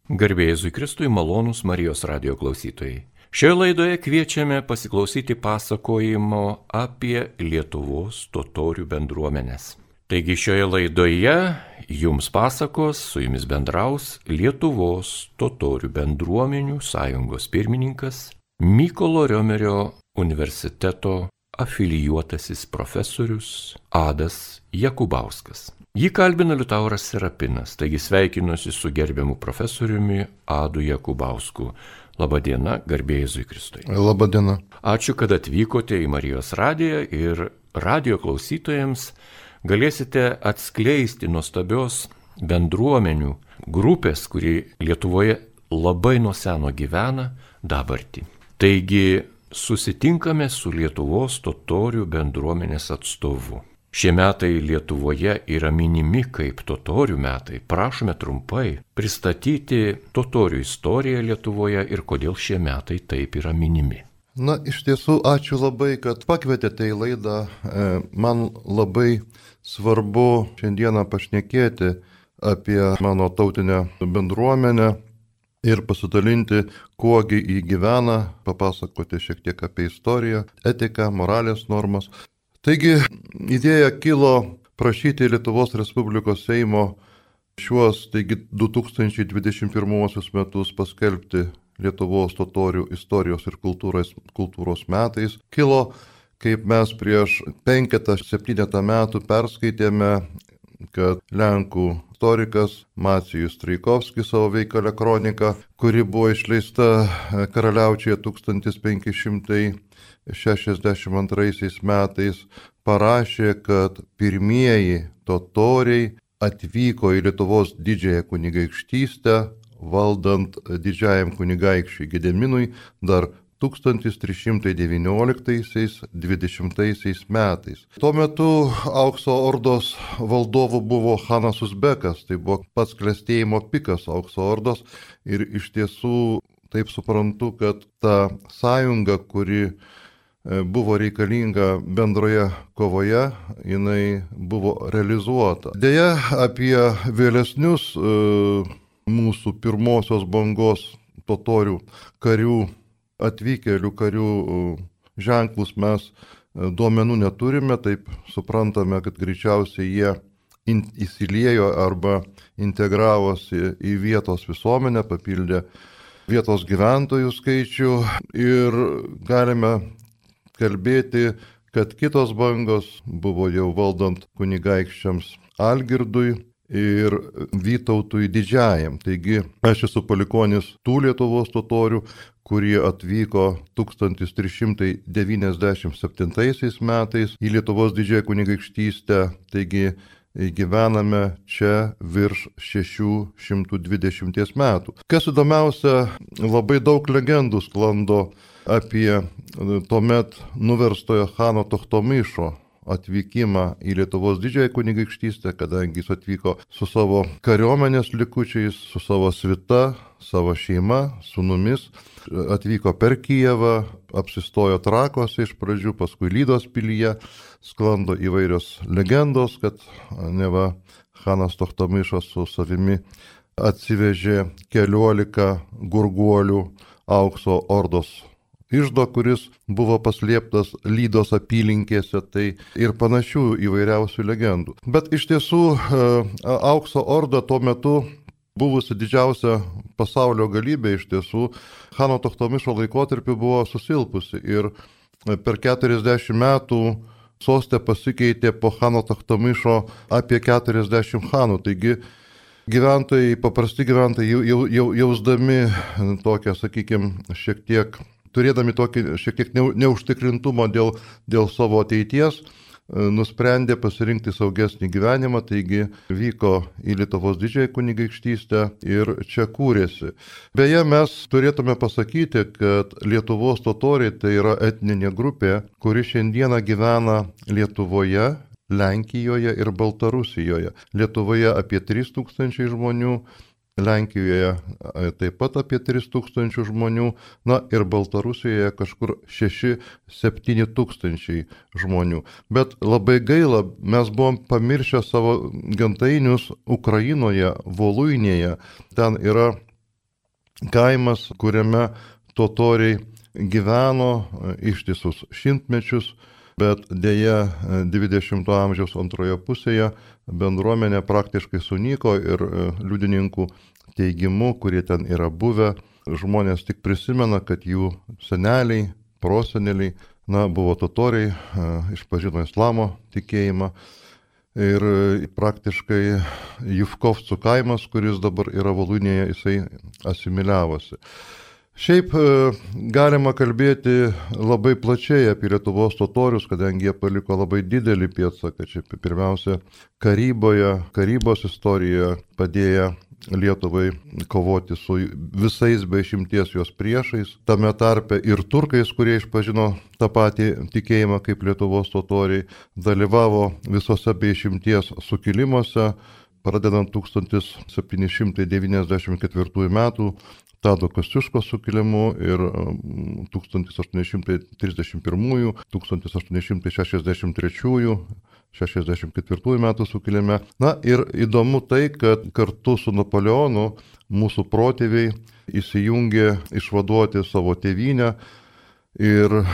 Garbė Jėzui Kristui, malonūs Marijos radijo klausytojai. Šioje laidoje kviečiame pasiklausyti pasakojimo apie Lietuvos totorių bendruomenes. Taigi šioje laidoje jums pasakos, su jumis bendraus Lietuvos totorių bendruomenių sąjungos pirmininkas Mykolo Riomerio universiteto afilijuotasis profesorius Adas Jakubauskas. Jį kalbina Liutauras Serapinas, taigi sveikinuosi su gerbiamu profesoriumi Adu Jakubausku. Labadiena, garbė Jėzui Kristui. Labadiena. Ačiū, kad atvykote į Marijos radiją ir radijo klausytojams galėsite atskleisti nuostabios bendruomenių grupės, kuri Lietuvoje labai nuo seno gyvena, dabartį. Taigi susitinkame su Lietuvos totorių bendruomenės atstovu. Šie metai Lietuvoje yra minimi kaip totorių metai. Prašome trumpai pristatyti totorių istoriją Lietuvoje ir kodėl šie metai taip yra minimi. Na, iš tiesų, ačiū labai, kad pakvietėte į laidą. Man labai svarbu šiandieną pašnekėti apie mano tautinę bendruomenę ir pasidalinti, kuogi jį gyvena, papasakoti šiek tiek apie istoriją, etiką, moralės normas. Taigi, idėja kilo prašyti Lietuvos Respublikos Seimo šiuos, 2021 metus paskelbti Lietuvos totorių istorijos ir kultūros metais. Kilo, kaip mes prieš 5-7 metų perskaitėme, kad Lenkų istorikas Macijus Traikovskis savo veikalę kroniką, kuri buvo išleista Karaliaučiuje 1562 metais, parašė, kad pirmieji totoriai atvyko į Lietuvos didžiąją kunigaikštystę, valdant didžiajam kunigaikščiui Gedeminui dar 1319-20 metais. Tuo metu Aukso ordos valdovu buvo Hanas Uzbekas, tai buvo pats klestėjimo pikas Aukso ordos ir iš tiesų taip suprantu, kad ta sąjunga, kuri buvo reikalinga bendroje kovoje, jinai buvo realizuota. Deja, apie vėlesnius mūsų pirmosios bangos totorių karių, atvykėlių karių ženklus mes duomenų neturime, taip suprantame, kad greičiausiai jie įsiliejo arba integravosi į vietos visuomenę, papildė vietos gyventojų skaičių ir galime kalbėti, kad kitos bangos buvo jau valdant kunigaikščiams Algirdui ir Vytautui Didžiajam. Taigi aš esu palikonis tų Lietuvos totorių, kurie atvyko 1397 metais į Lietuvos didžiąją kunigaikštystę, taigi gyvename čia virš 620 metų. Kas įdomiausia, labai daug legendų sklando apie tuomet nuverstojo Chano Tochtomyšo atvykimą į Lietuvos didžiąją kunigaikštystę, kadangi jis atvyko su savo kariuomenės likučiais, su savo svita, savo šeima, sūnumis, atvyko per Kijevą, apsistojo Trakuose iš pradžių, paskui Lydos pilyje, sklando įvairios legendos, kad neva Chanas Tochtomyšas su savimi atsivežė 14 gurguolių Aukso ordos iždo, kuris buvo paslėptas Lydos apylinkėse, tai ir panašių įvairiausių legendų. Bet iš tiesų Aukso orda tuo metu buvusi didžiausia pasaulio galybė, iš tiesų Chano Tochtomyšo laikotarpiu buvo susilpusi ir per 40 metų sostė pasikeitė po Chano Tochtomyšo apie 40 chanų. Taigi gyventojai, paprasti gyventojai jausdami tokią, sakykime, šiek tiek turėdami tokį šiek tiek neužtikrintumą dėl savo ateities, nusprendė pasirinkti saugesnį gyvenimą, taigi vyko į Lietuvos didžiąją kunigaikštystę ir čia kūrėsi. Beje, mes turėtume pasakyti, kad Lietuvos totoriai tai yra etninė grupė, kuri šiandieną gyvena Lietuvoje, Lenkijoje ir Baltarusijoje. Lietuvoje apie 3000 žmonių, Lenkijoje taip pat apie 3000 žmonių, na ir Baltarusijoje kažkur 6-7 tūkstančiai žmonių. Bet labai gaila, mes buvom pamiršę savo gentainius Ukrainoje, Voluinėje. Ten yra kaimas, kuriame totoriai gyveno ištisus šimtmečius, bet dėja 20-ojo amžiaus antroje pusėje bendruomenė praktiškai sunyko ir liudininkų teigimu, kurie ten yra buvę, žmonės tik prisimena, kad jų seneliai, proseneliai, buvo totoriai, išpažino islamo tikėjimą. Ir praktiškai Jufkovcų kaimas, kuris dabar yra Voluinėje, jisai asimiliavosi. Šiaip galima kalbėti labai plačiai apie Lietuvos totorius, kadangi jie paliko labai didelį pėdsaką. Čia pirmiausia, karybos istorijoje padėjo Lietuvai kovoti su visais be išimties jos priešais, tame tarpe ir turkais, kurie išpažino tą patį tikėjimą kaip Lietuvos totoriai, dalyvavo visose be išimties sukilimuose, pradedant 1794 metų Tado Kosciuškos sukilimu ir 1831, 1863, 64 metų sukilime. Ir įdomu tai, kad kartu su Napoleonu mūsų protėviai įsijungė išvaduoti savo tėvynę ir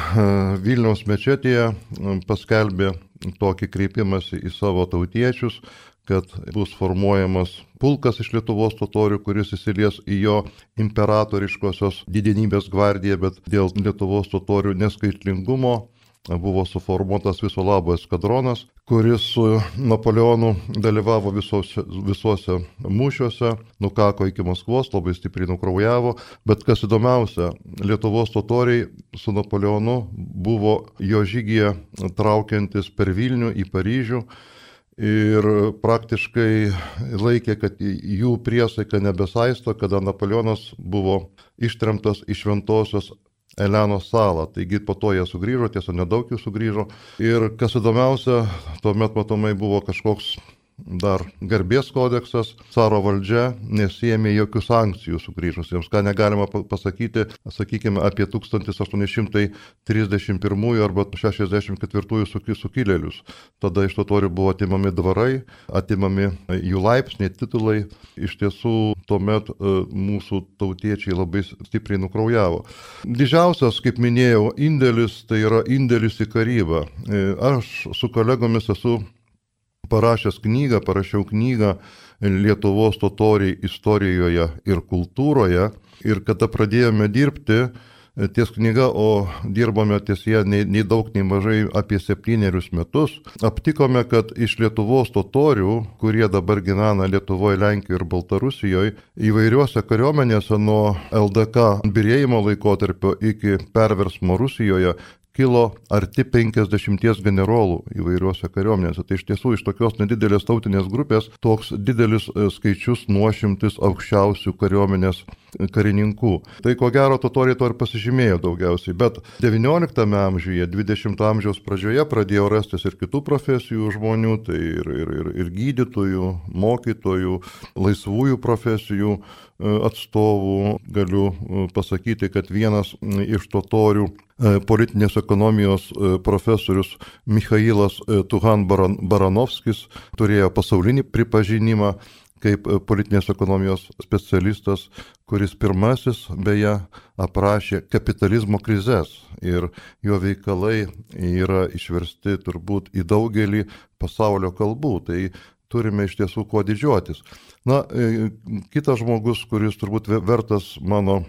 Vilniaus mečetėje paskelbė tokį kreipimąsi į savo tautiečius, kad bus formuojamas pulkas iš Lietuvos totorių, kuris įsilies į jo imperatoriškosios didenybės gvardiją, bet dėl Lietuvos totorių neskaitlingumo buvo suformuotas viso labo eskadronas, kuris su Napoleonu dalyvavo visuose mūšiuose, nukako iki Maskvos, labai stipriai nukraujavo, bet kas įdomiausia, Lietuvos totoriai su Napoleonu buvo jo žygyje traukiantis per Vilnių į Paryžių ir praktiškai laikė, kad jų priesaika nebesaisto, kada Napoleonas buvo ištremtas į Šventosios Elenos salą. Taigi po to jie sugrįžo, tiesa nedaug jų sugrįžo. Ir kas įdomiausia, tuomet matomai buvo kažkoks dar garbės kodeksas, caro valdžia nesiėmė jokių sankcijų sugrįžusiems, ką negalima pasakyti, sakykime, apie 1831 arba 64 sukilėlius. Tada iš totorių buvo atimami dvarai, atimami jų laipsniai, titulai. Iš tiesų, tuomet mūsų tautiečiai labai stipriai nukraujavo. Didžiausias, kaip minėjau, indėlis, tai yra indėlis į karybą. Aš su kolegomis parašiau knygą Lietuvos totoriai istorijoje ir kultūroje. Ir kada pradėjome dirbti ties knyga, o dirbome ties ją nei daug, nei mažai apie 7 metus, aptikome, kad iš Lietuvos totorių, kurie dabar gyvena Lietuvoje, Lenkijoje ir Baltarusijoje, įvairiuose kariuomenėse nuo LDK birėjimo laikotarpio iki perversmo Rusijoje kilo arti 50 generolų įvairiuose kariuomenėse. Tai iš tiesų iš tokios nedidelės tautinės grupės toks didelis skaičius nuošimtis aukščiausių kariuomenės karininkų. Tai ko gero totoriai to ir pasižymėjo daugiausiai, bet 19 amžiuje, 20 amžiaus pradžioje pradėjo rastis ir kitų profesijų žmonių, tai ir gydytojų, mokytojų, laisvųjų profesijų atstovų. Galiu pasakyti, kad vienas iš totorių politinės ekonomijos profesorius Michailas Tuhan-Baranovskis turėjo pasaulinį pripažinimą kaip politinės ekonomijos specialistas, kuris pirmasis beje aprašė kapitalizmo krizes ir jo veikalai yra išversti turbūt į daugelį pasaulio kalbų. Tai turime iš tiesų kuo didžiuotis. Kitas žmogus, kuris turbūt vertas mano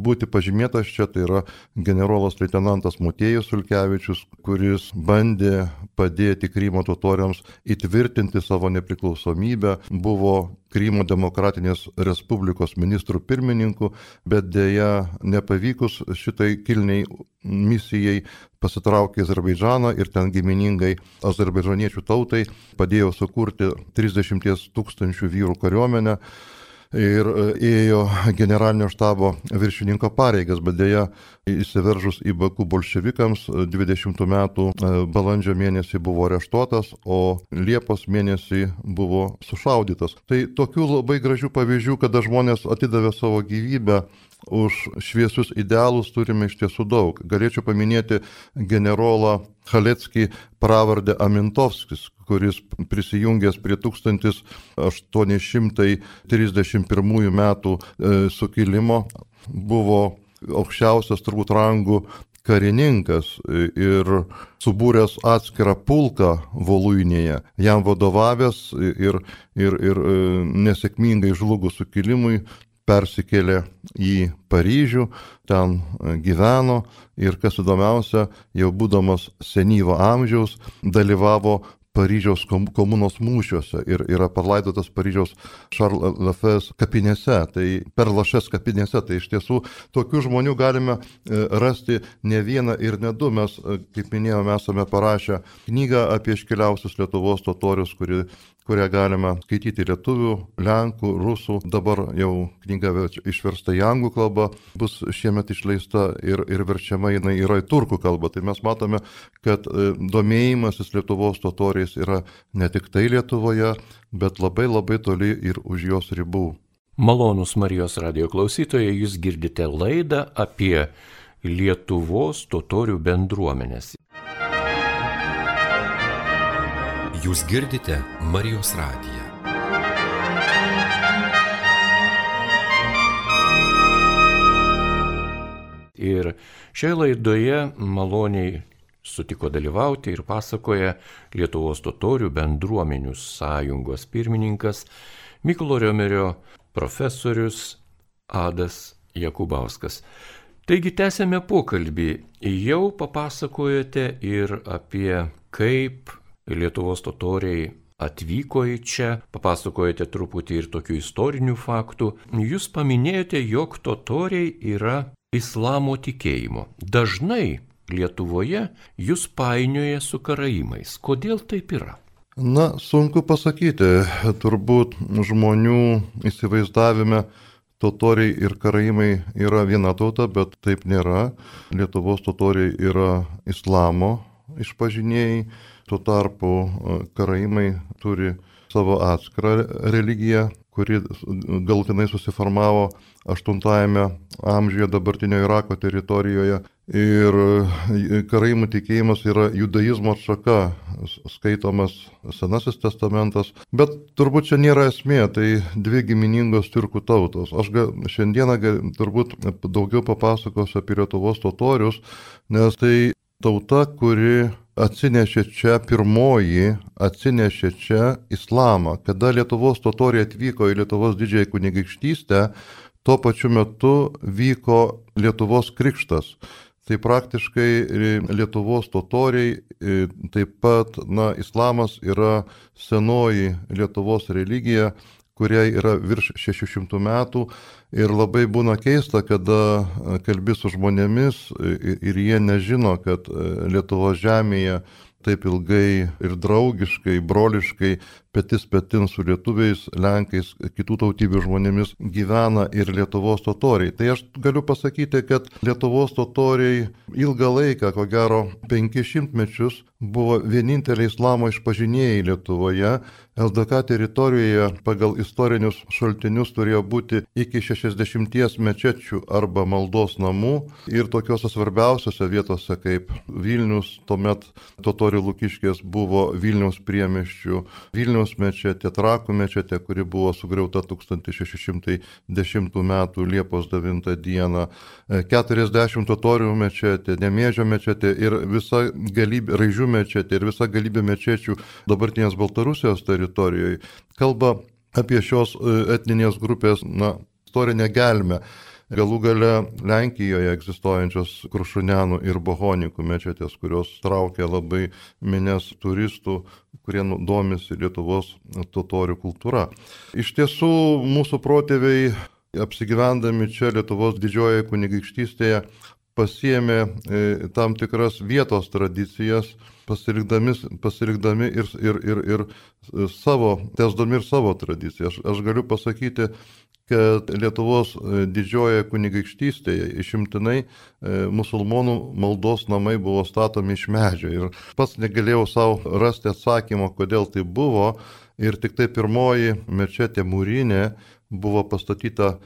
būti pažymėtas čia, tai yra generolas leitenantas Motiejus Sulkevičius, kuris bandė padėti Krymo totoriams įtvirtinti savo nepriklausomybę, buvo Krymo demokratinės respublikos ministrų pirmininku, bet dėja nepavykus šitai kilniai misijai pasitraukė į Azerbaidžaną ir ten giminingai azerbaidžaniečių tautai padėjo sukurti 30 000 vyrų kariuomenę ir ėjo generalinio štabo viršininko pareigas, bet dėja įsiveržus į Baku bolševikams 20 metų balandžio mėnesį buvo areštuotas, o Liepos mėnesį buvo sušaudytas. Tai tokių labai gražių pavyzdžių, kada žmonės atidavė savo gyvybę už šviesius idealus, turime iš tiesų daug. Galėčiau paminėti generolą Chaleckį pravardę Amintovskis, kuris prisijungęs prie 1831 metų sukilimo buvo aukščiausias turbūt rangų karininkas ir subūręs atskirą pulką Voluinėje, jam vadovavęs ir nesėkmingai žlugus sukilimui persikėlė į Paryžių, ten gyveno ir, kas įdomiausia, jau būdamas senyvo amžiaus, dalyvavo Paryžiaus komunos mūšiuose ir yra palaidotas Paryžiaus Charles Lafayette kapinėse, tai per Lašės kapinėse. Tai iš tiesų tokių žmonių galime rasti ne vieną ir ne du. Mes, kaip minėjome, esame parašę knygą apie iškiliausius Lietuvos totorius, kurią galime skaityti lietuvių, lenkų, rusų. Dabar jau knyga išversta į anglų kalbą, bus šiemet išleista ir verčiama jinai yra į turkų kalbą. Tai mes matome, kad domėjimasis Lietuvos totoriais yra ne tik tai Lietuvoje, bet labai labai toli ir už jos ribų. Malonūs Marijos radijo klausytojai, jūs girdite laidą apie Lietuvos totorių bendruomenės. Jūs girdite Marijos radiją. Ir šioje laidoje maloniai sutiko dalyvauti ir pasakoja Lietuvos totorių bendruomenių sąjungos pirmininkas Mykolo Riomerio profesorius Adas Jakubauskas. Taigi tęsėme pokalbį. Jau papasakojote ir apie kaip Lietuvos totoriai atvyko į čia, papasakojate truputį ir tokių istorinių faktų. Jūs paminėjote, jog totoriai yra islamo tikėjimo. Dažnai Lietuvoje jūs painioja su karaimais. Kodėl taip yra? Na, sunku pasakyti. Turbūt žmonių įsivaizdavime totoriai ir karaimai yra viena tauta, bet taip nėra. Lietuvos totoriai yra islamo išpažinėjai. Tuo tarpu karaimai turi savo atskirą religiją, kuri galutinai susiformavo 8-ame amžiuje dabartinio Irako teritorijoje. Ir karaimų tikėjimas yra judaizmo atšaka, skaitomas Senasis testamentas. Bet turbūt čia nėra esmė, tai dvi giminingos tiurkų tautos. Aš šiandieną turbūt daugiau papasakosiu apie Lietuvos totorius, nes tai tauta, kuri atsinešė čia islamą. Kada Lietuvos totoriai atvyko į Lietuvos didžiąją kunigaikštystę, tuo pačiu metu vyko Lietuvos krikštas. Tai praktiškai Lietuvos totoriai, taip pat, islamas yra senoji Lietuvos religija, kuriai yra virš 600 metų. Ir labai būna keista, kada kalbi su žmonėmis ir jie nežino, kad Lietuvos žemėje taip ilgai ir draugiškai, broliškai, petis petin su lietuviais, lenkais, kitų tautybių žmonėmis gyvena ir Lietuvos totoriai. Tai aš galiu pasakyti, kad Lietuvos totoriai ilgą laiką, ko gero 500 mečius, buvo vieninteliai islamo išpažinėjai Lietuvoje. LDK teritorijoje pagal istorinius šaltinius turėjo būti iki 60 mečečių arba maldos namų ir tokiuose svarbiausiose vietose kaip Vilnius, tuomet totorių Lukiškės buvo Vilniaus priemiesčių, Vilniaus mečetė, Trakų mečetė, kuri buvo sugriauta 1610 m. Liepos 9 d. 40 totorių mečetė, Nemėžio mečetė ir visa galybė, Raižių mečetė ir visa galybė mečečių dabartinės Baltarusijos teritorijoje kalba apie šios etninės grupės istorinę gelmę. Galų gale Lenkijoje egzistuojančios Krušunėnų ir Bohonikų mečetės, kurios traukia labai minias turistų, kurie domisi Lietuvos totorių kultūra. Iš tiesų, mūsų protėviai, apsigyvendami čia Lietuvos didžiojoje kunigaikštystėje, pasiėmė tam tikras vietos tradicijas, pasilikdami ir savo, tęsdami ir savo tradiciją. Aš galiu pasakyti, kad Lietuvos didžiojoje kunigaikštystėje išimtinai musulmonų maldos namai buvo statomi iš medžio. Ir pats negalėjau savo rasti atsakymo, kodėl tai buvo. Ir tik tai pirmoji mečetė mūrinė buvo pastatyta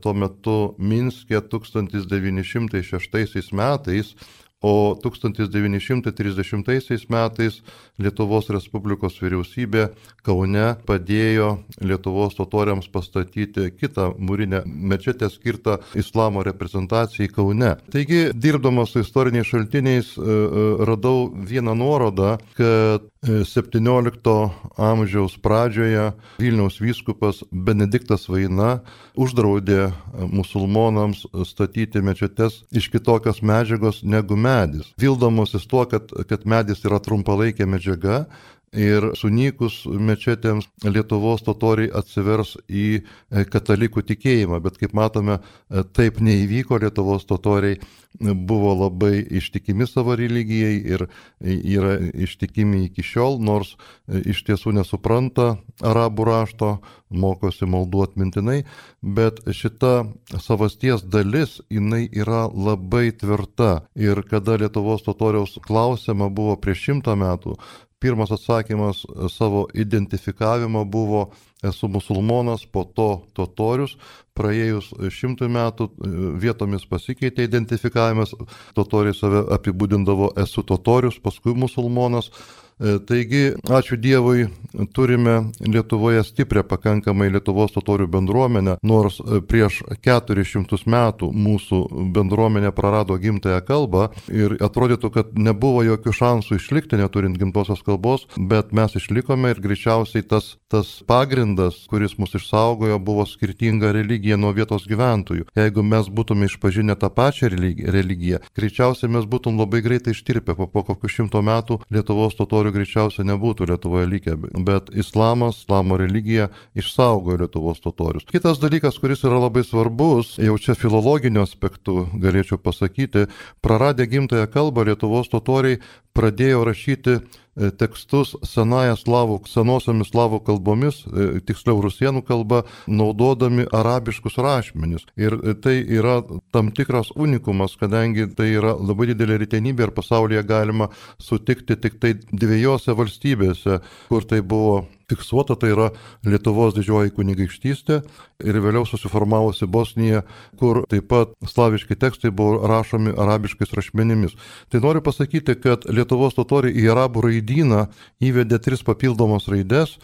tuo metu Minske 1906 metais o 1930 metais Lietuvos Respublikos vyriausybė Kaune padėjo Lietuvos totoriams pastatyti kitą mūrinę mečetę skirtą islamo reprezentacijai Kaune. Taigi, dirbdamas su istoriniais šaltiniais, radau vieną nuorodą, kad 17 amžiaus pradžioje Vilniaus vyskupas Benediktas Vaina uždraudė musulmonams statyti mečetes iš kitokios medžiagos negu medis, vildamosis tuo, kad medis yra trumpalaikė medžiaga ir sunykus mečetėms Lietuvos totoriai atsivers į katalikų tikėjimą, bet kaip matome, taip neįvyko. Lietuvos totoriai buvo labai ištikimi savo religijai ir yra ištikimi iki šiol, nors iš tiesų nesupranta arabų rašto, mokosi maldų atmintinai, bet šita savasties dalis, jinai yra labai tvirta. Ir kada Lietuvos totoriaus klausiama buvo prieš 100 metų, pirmas atsakymas savo identifikavimo buvo: esu musulmonas, po to totorius. Praėjus 100 metų vietomis pasikeitė identifikavimas, totoriai save apibūdindavo esu totorius, paskui musulmonas. Taigi, ačiū Dievui, turime Lietuvoje stiprią pakankamai Lietuvos totorių bendruomenę, nors prieš 400 metų mūsų bendruomenė prarado gimtąją kalbą ir atrodytų, kad nebuvo jokių šansų išlikti neturint gimtosios kalbos, bet mes išlikome ir greičiausiai tas pagrindas, kuris mus išsaugojo, buvo skirtinga religija nuo vietos gyventojų. Jeigu mes būtume išpažinę tą pačią religiją, greičiausiai mes būtum labai greitai ištirpę, po kokių 100 metų Lietuvos totorių greičiausiai nebūtų Lietuvoje likę, bet islamo religija išsaugojo Lietuvos totorius. Kitas dalykas, kuris yra labai svarbus, jau čia filologiniu aspektu galėčiau pasakyti, praradę gimtąją kalbą Lietuvos totoriai pradėjo rašyti tekstus senosiomis slavų kalbomis, tiksliau rusėnų kalba, naudodami arabiškus rašmenis. Ir tai yra tam tikras unikumas, kadangi tai yra labai didelė retenybė ir pasaulyje galima sutikti tik tai 2 valstybėse, kur tai buvo fiksuota, tai yra Lietuvos didžioji kunigaikštystė ir vėliau susiformavusi Bosnija, kur taip pat slaviški tekstai buvo rašomi arabiškais rašmenimis. Tai noriu pasakyti, kad Lietuvos totoriai į arabų raidyną įvedė 3 papildomas raides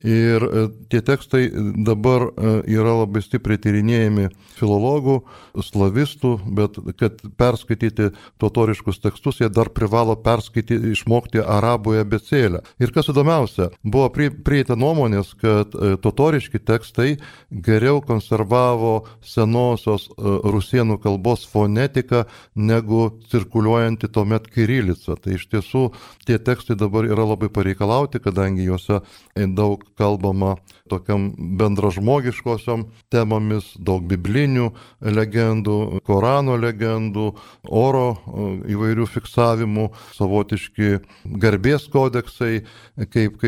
ir tie tekstai dabar yra labai stipriai tyrinėjami filologų, slavistų, bet kad perskaityti totoriškus tekstus, jie dar privalo išmokti arabų abėcėlę. Ir kas įdomiausia, buvo prieita nuomonės, kad totoriški tekstai geriau konservavo senosios rusėnų kalbos fonetiką negu cirkuliuojanti tuomet kirilica. Tai iš tiesų tie tekstai dabar yra labai pareikalauti, kadangi juose daug kalbama tokiam bendražmogiškosiom temomis, daug biblinių legendų, Korano legendų, oro įvairių fiksavimų, savotiški garbės kodeksai, kaip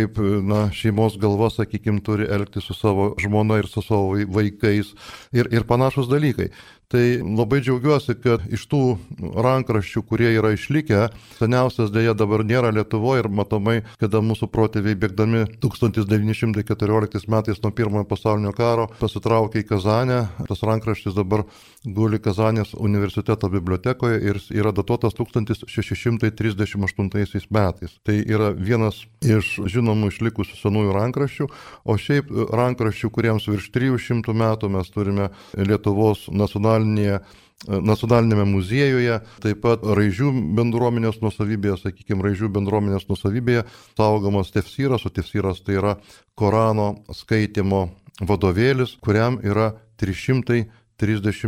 šeimos galva, sakykime, turi elgtis su savo žmona ir su savo vaikais ir panašus dalykai. Tai labai džiaugiuosi, kad iš tų rankraščių, kurie yra išlikę, seniausias dėja dabar nėra Lietuvoje ir matomai, kada mūsų protėviai bėgdami 1914 metais nuo Pirmojo pasaulinio karo pasitraukė į Kazanę. Tas rankraštis dabar guli Kazanės universiteto bibliotekoje ir yra datuotas 1638 metais. Tai yra vienas iš žinomų išlikusių senųjų rankraščių, o šiaip rankraščių, kuriems virš 300 metų mes turime Lietuvos nacionalinėme muziejuje, taip pat Raižių bendruomenės nuosavybėje, Raižių bendruomenės nuosavybėje saugomas tefsyras, o tefsyras tai yra Korano skaitymo vadovėlis, kuriam yra 330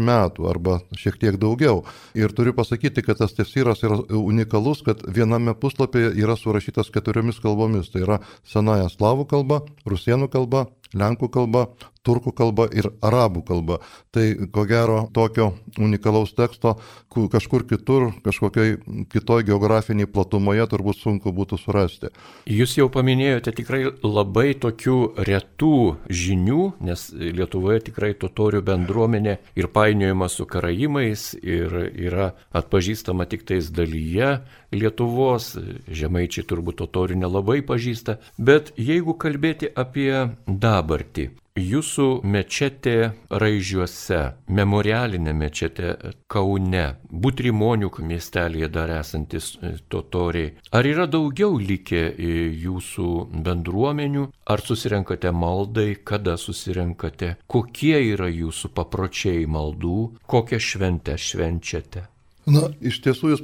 metų arba šiek tiek daugiau. Ir turiu pasakyti, kad tas tefsyras yra unikalus, kad viename puslapyje yra surašytas 4 kalbomis. Tai yra senąja slavų kalba, rusėnų kalba, lenkų kalba, turkų kalba ir arabų kalba. Tai ko gero tokio unikalaus teksto kažkur kitur, kažkokiai kitoj geografiniai platumoje turbūt sunku būtų surasti. Jūs jau paminėjote tikrai labai tokių retų žinių, nes Lietuvoje tikrai totorių bendruomenė ir painiojama su karaimais ir yra atpažįstama tik tais dalyje Lietuvos, žemaičiai turbūt totorių nelabai pažįsta, bet jeigu kalbėti apie dabartį, Jūsų mečetė Raižiuose, memorialinė mečetė Kaune, Butrimonių miestelėje dar esantis totoriai. Ar yra daugiau likę jūsų bendruomenių? Ar susirenkate maldai? Kada susirenkate? Kokie yra jūsų papročiai maldų? Kokią šventę švenčiate? Na, iš tiesų jūs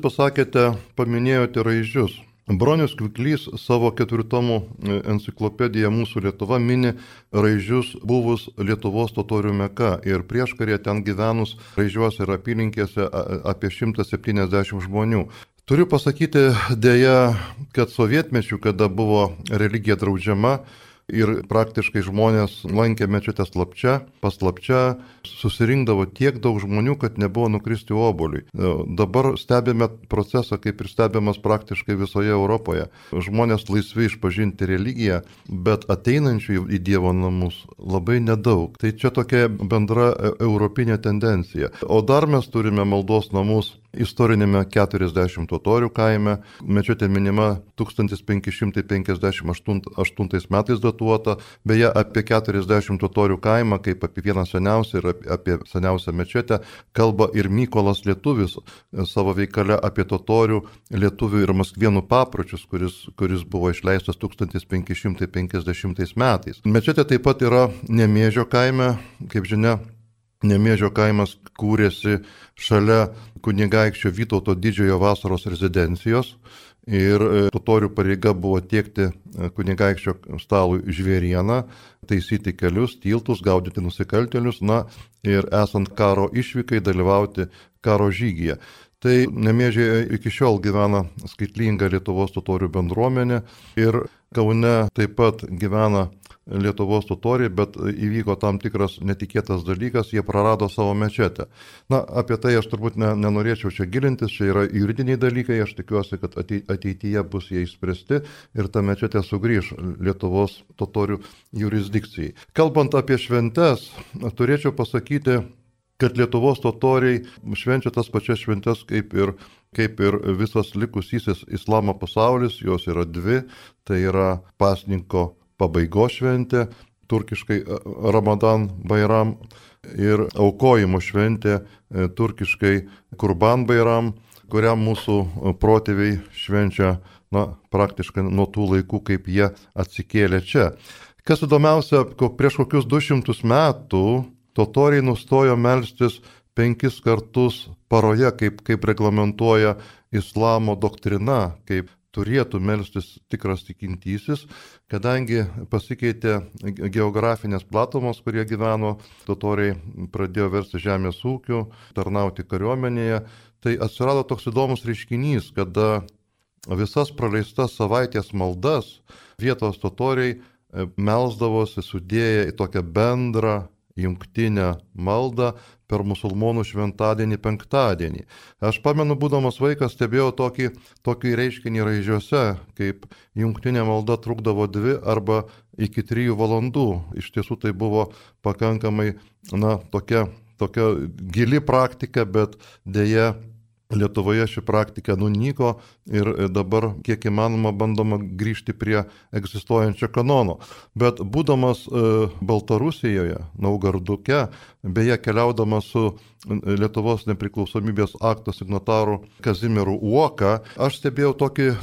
paminėjote Raižius. Bronius Kviklys savo 4 tomų enciklopediją Mūsų Lietuva mini Raižius buvus Lietuvos totorių meka ir prieškarė ten gyvenus Raižiuose ir apylinkėse apie 170 žmonių. Turiu pasakyti dėja, kad sovietmečių, kada buvo religija draudžiama, ir praktiškai žmonės lankė mečetę paslapčia, susirinkdavo tiek daug žmonių, kad nebuvo nukristi obuoliui. Dabar stebime procesą, kaip ir stebimas praktiškai visoje Europoje. Žmonės laisvi išpažinti religiją, bet ateinančių į Dievo namus labai nedaug. Tai čia tokia bendra europinė tendencija. O dar mes turime maldos namus istorinėme 40 totorių kaime. Mečetė minima 1558 metais datuota. Beje, apie 40 totorių kaimą, kaip apie vieną seniausią ir apie seniausią mečetę, kalba ir Mykolas Lietuvis savo veikale apie totorių, lietuvių ir maskvienų papročius, kuris buvo išleistas 1550 metais. Mečetė taip pat yra Nemėžio kaime, kaip žinia. Nemėžio kaimas kūrėsi šalia kunigaikščio Vytauto didžiojo vasaros rezidencijos ir totorių pareiga buvo tiekti kunigaikščio stalui žvėrieną, taisyti kelius, tiltus, gaudyti nusikaltėlius, ir esant karo išvykai dalyvauti karo žygyje. Tai Nemėžėje iki šiol gyvena skaitlinga Lietuvos totorių bendruomenė ir Kaune taip pat gyvena Lietuvos totoriai, bet įvyko tam tikras netikėtas dalykas, jie prarado savo mečetę. Apie tai aš turbūt nenorėčiau čia gilintis, čia yra juridiniai dalykai, aš tikiuosi, kad ateityje bus jie išspręsti ir ta mečetė sugrįž Lietuvos totorių jurisdikcijai. Kalbant apie šventes, turėčiau pasakyti, kad Lietuvos totoriai švenčia tas pačias šventes kaip ir visas likusysis islamo pasaulis, jos yra dvi, tai yra pasninko pabaigos šventė, turkiškai Ramadan Bayram, ir aukojimo šventė, turkiškai Kurban Bayram, kurią mūsų protėviai švenčia praktiškai nuo tų laikų, kaip jie atsikėlė čia. Kas įdomiausia, prieš kokius 200 metų totoriai nustojo melstis 5 kartus paroje, kaip reglamentuoja islamo doktrina, kaip turėtų melstis tikras tikintysis, kadangi pasikeitė geografinės platumos, kurie gyveno, totoriai pradėjo versti žemės ūkiu, tarnauti kariuomenėje, tai atsirado toks įdomus reiškinys, kada visas praleistas savaitės maldas vietos totoriai melsdavosi sudėję į tokią bendrą jungtinę maldą per musulmonų šventadienį penktadienį. Aš pamenu, būdamas vaikas, stebėjau tokį reiškinį Raižiuose, kaip jungtinė malda trukdavo 2 arba iki 3 valandų. Iš tiesų tai buvo pakankamai tokia gili praktika, bet dėja Lietuvoje ši praktika nunyko ir dabar kiek įmanoma bandoma grįžti prie egzistuojančio kanono. Bet būdamas Baltarusijoje, Naugarduke, beje keliaudamas su Lietuvos nepriklausomybės akto signataru Kazimieru Uoka, aš stebėjau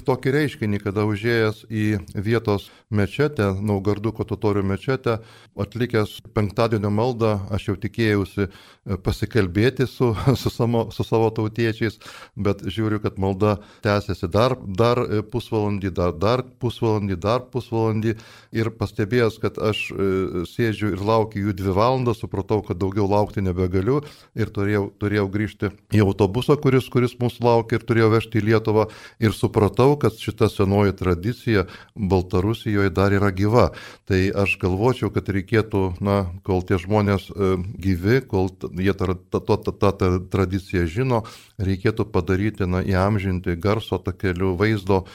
tokį reiškinį, kada užėjęs į vietos mečetę, Naugarduko totorių mečetę, atlikęs penktadienio maldą, aš jau tikėjausi pasikalbėti su savo tautiečiais, bet žiūriu, kad malda tęsiasi dar pusvalandį, dar pusvalandį ir pastebėjęs, kad aš sėdžiu ir laukiu jų 2 valandas, supratau, kad daugiau laukti nebegaliu ir turėjau grįžti į autobusą, kuris mūsų laukia ir turėjau vežti į Lietuvą ir supratau, kad šita senoji tradicija Baltarusijoje dar yra gyva. Tai aš galvočiau, kad reikėtų, kol tie žmonės gyvi, kol jie tą tradiciją žino, reikėtų padaryti, įamžinti garso takeliu, vaizdo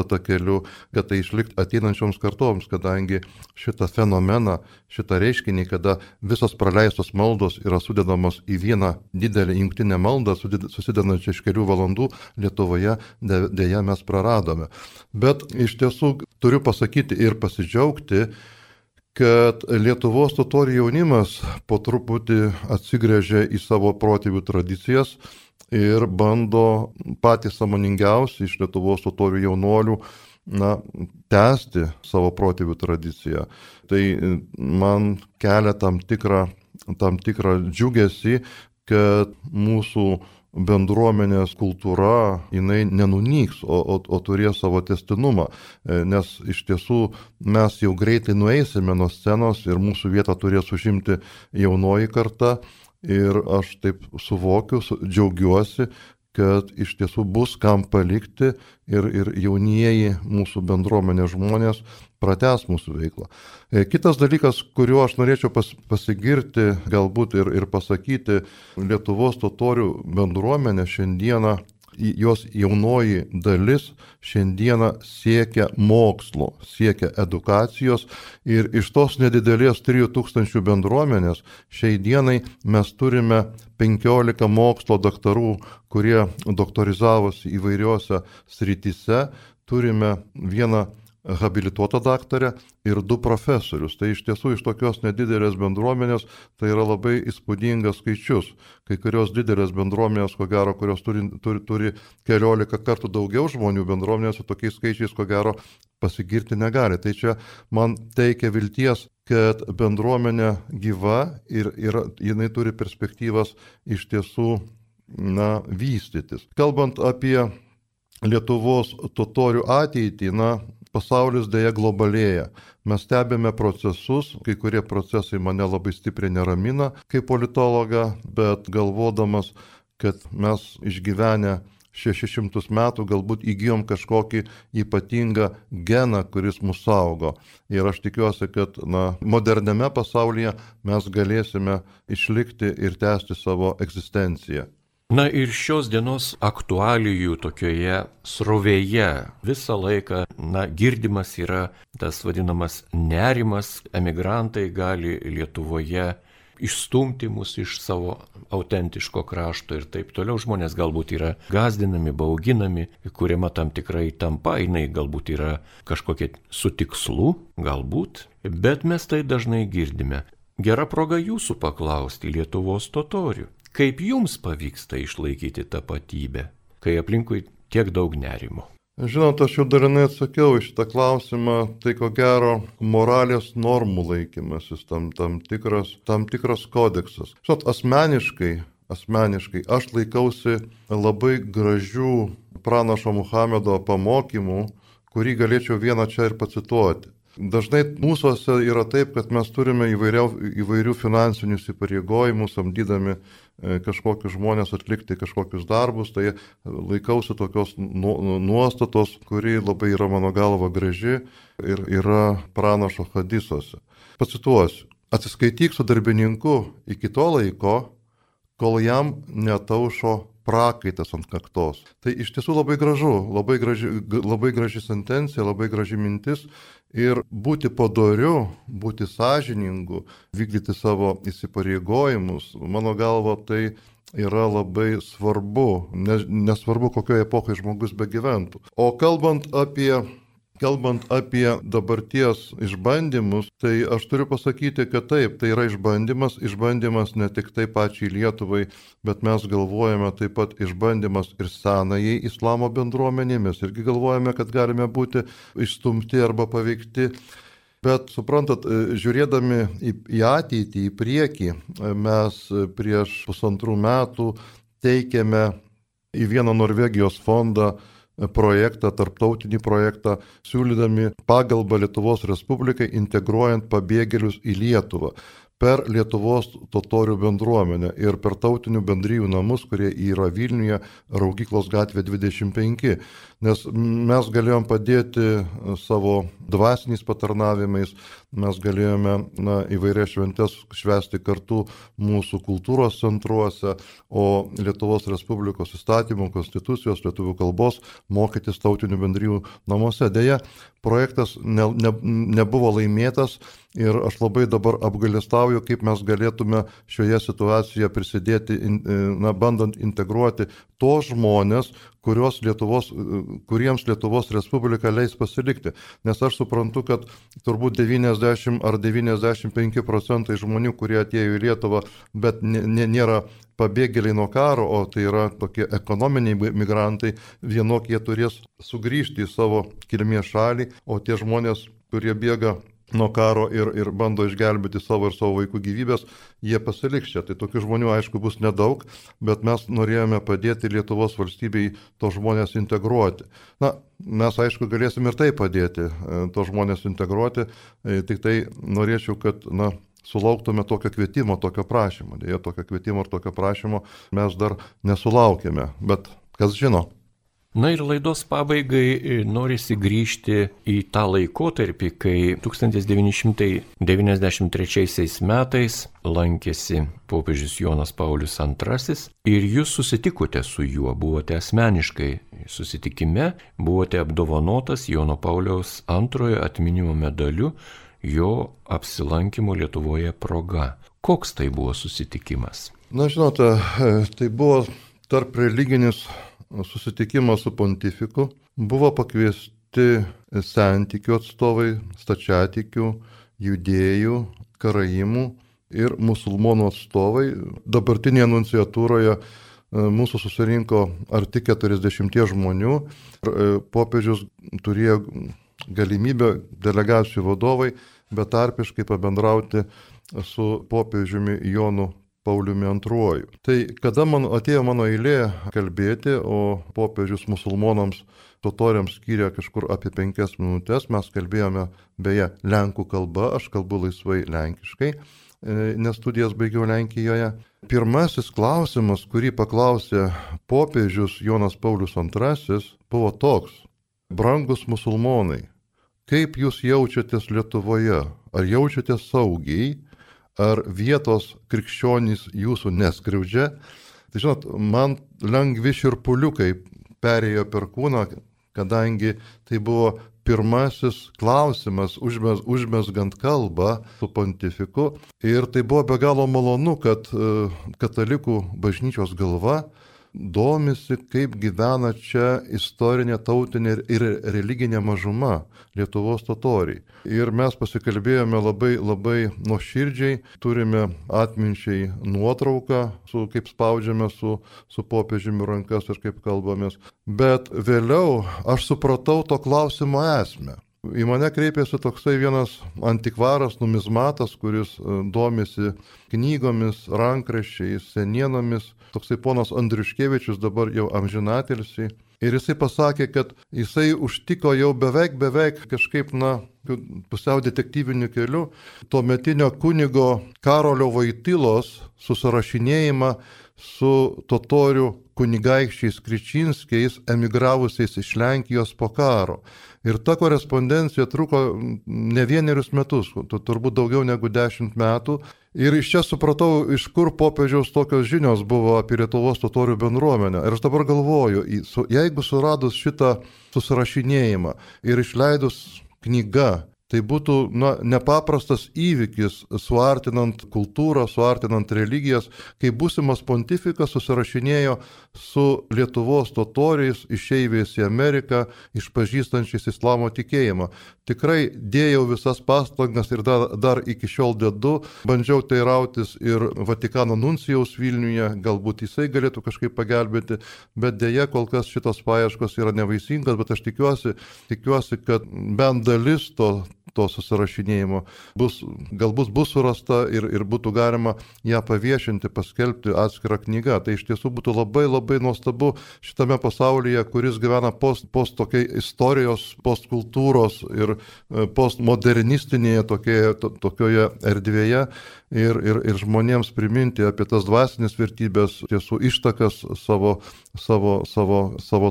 takeliu, kad tai išlikti ateinančioms kartoms, kadangi šitą fenomeną, šitą reiškinį, kada visos praleistos maldos yra sudedamos į vieną didelę jungtinę maldą, susidedančią iš kelių valandų, Lietuvoje dėja mes praradome. Bet iš tiesų turiu pasakyti ir pasidžiaugti, kad Lietuvos totorių jaunimas po truputį atsigręžia į savo protėvių tradicijas ir bando patys sąmoningiausi iš Lietuvos totorių jaunuolių tęsti savo protėvių tradiciją. Tai man kelia tam tikrą džiugesį, kad mūsų bendruomenės kultūra, jinai nenunyks, o turės savo testinumą, nes iš tiesų mes jau greitai nueisime nuo scenos ir mūsų vietą turės užimti jaunoji karta ir aš taip suvokiu, džiaugiuosi, kad iš tiesų bus kam palikti ir jaunieji mūsų bendruomenės žmonės pratęs mūsų veiklą. Kitas dalykas, kuriuo aš norėčiau pasigirti galbūt ir pasakyti, Lietuvos totorių bendruomenė šiandieną, jos jaunoji dalis šiandieną siekia mokslo, siekia edukacijos ir iš tos nedidelės 3000 bendruomenės šiai dienai mes turime 15 mokslo daktarų, kurie doktorizavosi įvairiose srityse, turime vieną habilituotą daktarę ir 2 profesorius. Tai iš tiesų iš tokios nedidelės bendruomenės tai yra labai įspūdingas skaičius. Kai kurios didelės bendruomenės, ko gero, kurios turi keliolika kartų daugiau žmonių bendruomenės, su tokiais skaičiais, ko gero, pasigirti negali. Tai čia man teikia vilties, kad bendruomenė gyva ir jinai turi perspektyvas iš tiesų vystytis. Kalbant apie Lietuvos totorių ateitį, pasaulis dėja globalėja. Mes stebime procesus, kai kurie procesai mane labai stipriai neramina kaip politologą, bet galvodamas, kad mes išgyvenę 600 metų galbūt įgijom kažkokį ypatingą geną, kuris mus saugo. Ir aš tikiuosi, kad moderniame pasaulyje mes galėsime išlikti ir tęsti savo egzistenciją. Na ir šios dienos aktualijų tokioje srovėje visą laiką, girdimas yra tas vadinamas nerimas, emigrantai gali Lietuvoje išstumti mus iš savo autentiško krašto ir taip toliau. Žmonės galbūt yra gąsdinami, bauginami, kuriama tam tikrai tampa, jinai galbūt yra kažkokia su tikslu, galbūt, bet mes tai dažnai girdime. Gera proga jūsų paklausti, Lietuvos totorių. Kaip jums pavyksta išlaikyti tapatybę, kai aplinkui tiek daug nerimo? Žinot, aš jau dalinai atsakiau iš šitą klausimą, tai ko gero moralės normų laikymasis, tam tikras kodeksas. Žinot, asmeniškai aš laikausi labai gražių pranašo Muhamedo pamokymų, kurį galėčiau vieną čia ir pacituoti. Dažnai mūsųse yra taip, kad mes turime įvairių finansinių įsipareigojimų, samdydami kažkokius žmonės atlikti kažkokius darbus, tai laikausi tokios nuostatos, kuri labai yra mano galva graži ir yra pranašo hadisuose. Pacituosiu. Atsiskaityk su darbininku iki to laiko, kol jam netaušo prakaitas ant kaktos. Tai iš tiesų labai gražu, labai graži sentencija, labai graži mintis. Ir būti padoriu, būti sąžiningu, vykdyti savo įsipareigojimus, mano galva, tai yra labai svarbu, nesvarbu, kokioje epochoje žmogus begyventų. O kalbant apie dabarties išbandymus, tai aš turiu pasakyti, kad taip, tai yra išbandymas ne tik tai pačiai Lietuvai, bet mes galvojame taip pat išbandymas ir senajai islamo bendruomenė, mes irgi galvojame, kad galime būti išstumti arba paveikti. Bet suprantat, žiūrėdami į ateitį, į priekį, mes prieš 1,5 metų teikėme į vieną Norvegijos fondą projektą, tarptautinį projektą, siūlydami pagalbą Lietuvos Respublikai integruojant pabėgėlius į Lietuvą per Lietuvos totorių bendruomenę ir per tautinių bendrijų namus, kurie yra Vilniuje, Raugyklos gatvė 25. Nes mes galėjom padėti savo dvasiniais patarnavimais, mes galėjome įvairias šventes švęsti kartu mūsų kultūros centruose, o Lietuvos Respublikos įstatymų, konstitucijos, lietuvių kalbos mokytis tautinių bendrijų namuose. Deja, projektas nebuvo laimėtas Ir aš labai dabar apgailestauju, kaip mes galėtume šioje situacijoje prisidėti, bandant integruoti tos žmonės, kuriems Lietuvos Respublika leis pasilikti. Nes aš suprantu, kad turbūt 90 ar 95% žmonių, kurie atėjo į Lietuvą, bet nėra pabėgėliai nuo karo, o tai yra tokie ekonominiai migrantai, vienokie turės sugrįžti į savo kilmės šalį, o tie žmonės, kurie bėga nuo karo ir bando išgelbėti savo ir savo vaikų gyvybės, jie pasiliks čia. Tai tokių žmonių, aišku, bus nedaug, bet mes norėjome padėti Lietuvos valstybei tos žmonės integruoti. Mes, aišku, galėsim ir tai padėti, tos žmonės integruoti, tik tai norėčiau, kad, sulauktume tokio kvietimo, tokio prašymo. Deja, tokio kvietimo ir tokio prašymo mes dar nesulaukėme, bet kas žino. Na ir laidos pabaigai norisi grįžti į tą laikotarpį, kai 1993 metais lankėsi popiežius Jonas Paulius II ir jūs susitikote su juo, buvote asmeniškai susitikime, buvote apdovanotas Jono Pauliaus II atminimo medaliu jo apsilankimo Lietuvoje proga. Koks tai buvo susitikimas? Žinote, tai buvo tarp religinis susitikimas su pontifiku, buvo pakviesti sentikių atstovai, stačiatikių, judėjų, karaimų ir musulmonų atstovai. Dabartinėje nunciatūroje mūsų susirinko arti 40 žmonių. Popiežius turėjo galimybę, delegacijų vadovai, betarpiškai pabendrauti su popiežiumi Jonu Pauliumi II. Tai kada atėjo mano eilė kalbėti, o popiežius musulmonams, totoriams skyrė kažkur apie 5 minutės, mes kalbėjome beje lenkų kalba, aš kalbu laisvai lenkiškai, nes studijas baigiau Lenkijoje. Pirmasis klausimas, kurį paklausė popiežius Jonas Paulius II, buvo toks: brangus musulmonai, kaip jūs jaučiatės Lietuvoje? Ar jaučiatės saugiai? Ar vietos krikščionys jūsų neskriaudžia? Tai žinot, man lengvi širpuliukai perėjo per kūną, kadangi tai buvo pirmasis klausimas užmezgant kalbą su pontifiku. Ir tai buvo be galo malonu, kad katalikų bažnyčios galva domisi, kaip gyvena čia istorinė, tautinė ir religinė mažuma Lietuvos totoriai. Ir mes pasikalbėjome labai, labai nuoširdžiai, turime atminčiai nuotrauką, kaip spaudžiame su popiežiumi rankas ir kaip kalbamės. Bet vėliau aš supratau to klausimo esmę. Į mane kreipėsi toksai vienas antikvaras, numizmatas, kuris domisi knygomis, rankraščiais, senienomis, toksai ponas Andriuškevičius, dabar jau amžinatilsį. Ir jisai pasakė, kad jisai užtiko jau beveik kažkaip, pusiau detektyviniu keliu, tuometinio kunigo Karolio Voitylos susirašinėjimą su totorių kunigaikščiais Kričinskiais, emigravusiais iš Lenkijos po karo. Ir ta korespondencija truko ne vienerius metus, turbūt daugiau negu 10 metų. Ir iš čia supratau, iš kur popiežiaus tokios žinios buvo apie Lietuvos totorių bendruomenę. Ir aš dabar galvoju, jeigu suradus šitą susirašinėjimą ir išleidus knygą, tai būtų nepaprastas įvykis, suartinant kultūrą, suartinant religijas, kai būsimas pontifikas susirašinėjo su Lietuvos totoriais, išeiviais į Ameriką, išpažįstančiais islamo tikėjimą. Tikrai dėjau visas pastangas ir dar iki šiol dedu. Bandžiau teirautis ir Vatikano nuncijaus Vilniuje, galbūt jisai galėtų kažkaip pagelbėti, bet dėja kol kas šitos paieškos yra nevaisingas, bet aš tikiuosi, kad bent dalis to susirašinėjimo galbūt bus surasta ir būtų galima ją paviešinti, paskelbti atskirą knygą. Tai iš tiesų būtų labai, labai nuostabu šitame pasaulyje, kuris gyvena post tokiai istorijos, postkultūros ir postmodernistinėje tokioje erdvėje ir žmonėms priminti apie tas dvasinės vertybės, tiesų ištakas savo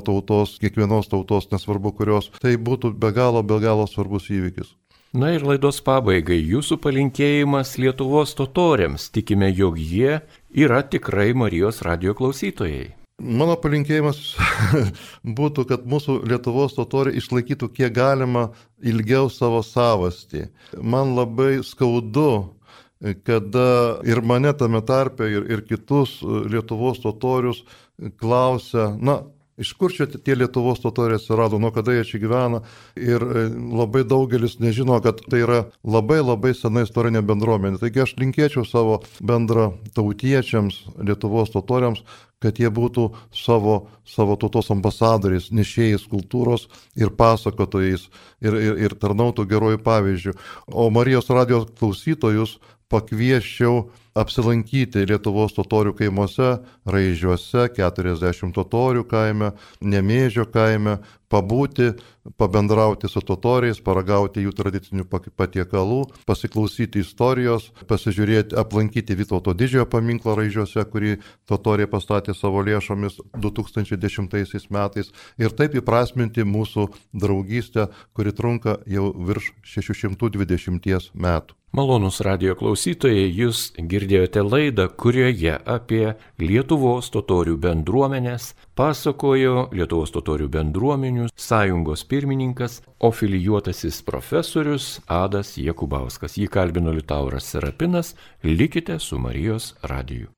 tautos, kiekvienos tautos, nesvarbu kurios. Tai būtų be galo svarbus įvykis. Na ir laidos pabaigai jūsų palinkėjimas Lietuvos totoriams. Tikime, jog jie yra tikrai Marijos radijo klausytojai. Mano palinkėjimas būtų, kad mūsų Lietuvos totoriai išlaikytų kiek galima ilgiau savo savastį. Man labai skaudu, kada ir mane tame tarpe, ir kitus Lietuvos totorius klausia, iš kur čia tie Lietuvos totoriai atsirado, nuo kada jie čia gyvena. Ir labai daugelis nežino, kad tai yra labai labai sena istorinė bendruomenė. Taigi aš linkėčiau savo bendra tautiečiams, Lietuvos totoriams, kad jie būtų savo tautos ambasadoriais, nešėjais kultūros ir pasakotojais ir tarnautų gerojų pavyzdžių. O Marijos radijos klausytojus pakviesčiau apsilankyti Lietuvos totorių kaimuose, Raižiuose, 40 totorių kaime, Nemėžio kaime, pabūti, pabendrauti su totoriais, paragauti jų tradicinių patiekalų, pasiklausyti istorijos, pasižiūrėti, aplankyti Vytauto didžiojo paminklą Raižiuose, kurį totoriai pastatė savo lėšomis 2010 metais ir taip įprasminti mūsų draugystę, kuri trunka jau virš 620 metų. Malonūs radijo klausytojai, jūs girdėjote laidą, kurioje apie Lietuvos totorių bendruomenės pasakojo Lietuvos totorių bendruomenių sąjungos pirmininkas, ofilijuotasis profesorius Adas Jakubauskas. Jį kalbino Liutauras Serapinas. Likite su Marijos radiju.